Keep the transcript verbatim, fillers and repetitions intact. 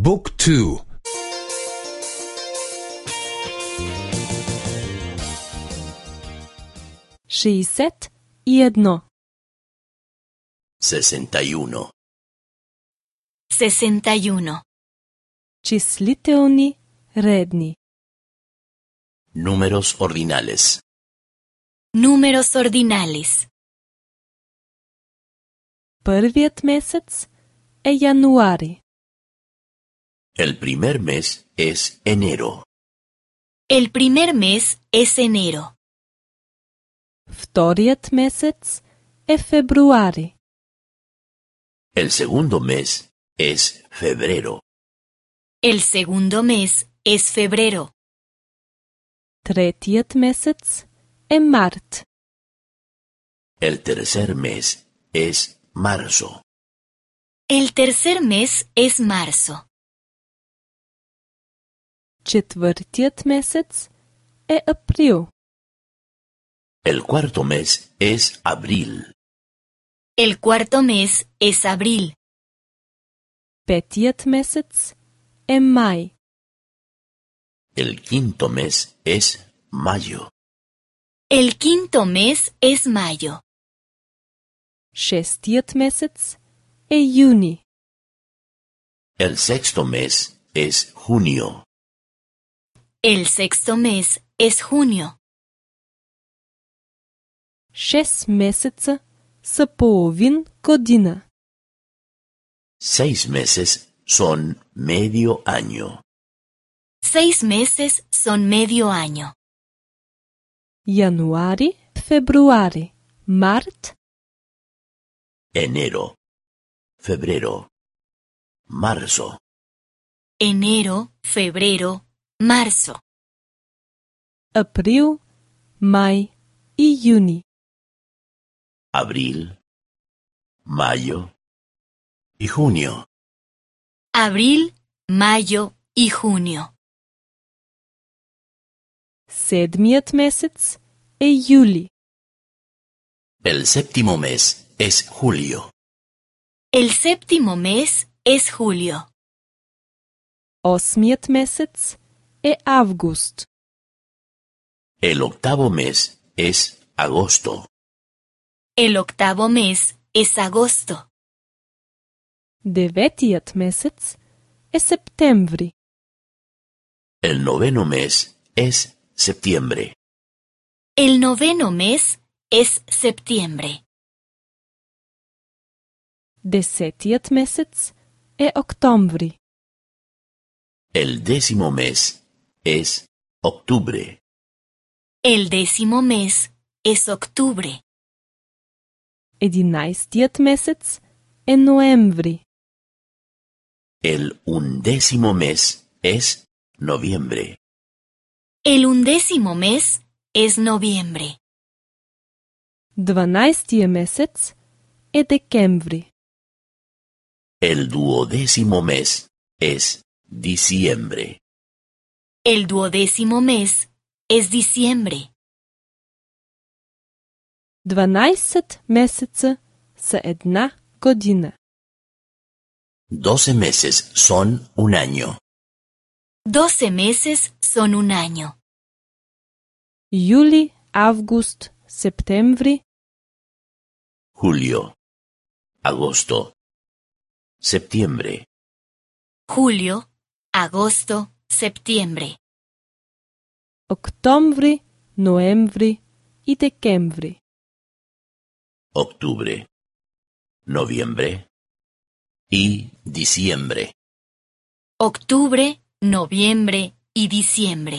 บุ๊กทูšestdeset jedno sesenta y uno sesenta y uno Числителни редни Números ordinales. Números ordinales. Първият месец е януари. El primer mes es enero. El primer mes es enero. Вторият месец е февруари. El segundo mes es febrero. El segundo mes es febrero. Третият месец е март. El tercer mes es marzo. El tercer mes es marzo. Четвъртият месец е април. El cuarto mes es abril. El cuarto mes es abril. Петият месец е май. El quinto mes es mayo. El quinto mes es mayo. Шестият месец е юни. El sexto mes es junio. El sexto mes es junio. Шест месеца са половин година. Seis meses son medio año. Seis meses son medio año. Януари, февруари, март, Enero, febrero, marzo. Enero, febrero, marzo. април, май и юни. Abril, mayo y junio. Abril, mayo y junio. Седмият месец е юли. El séptimo mes es julio. El séptimo mes es julio. Осмият месец е август. El octavo mes es agosto. El octavo mes es agosto. Деветият месец е септември. El noveno mes es septiembre. El noveno mes es septiembre. Десетият месец е октомври. El décimo mes es octubre. El décimo mes es octubre. Единайстият месец е ноември. El undécimo mes es noviembre. El undécimo mes es noviembre. Дванайстия месец е декември. El duodécimo mes es diciembre. El duodécimo mes es diciembre. Дванайсет месеца са една година. Doce meses son un año. Doce meses son un año. Юли, август, септември, Julio, agosto, septiembre. Julio, agosto, septiembre. октомври, ноември и декември. Octubre, noviembre y diciembre. Octubre, noviembre y diciembre.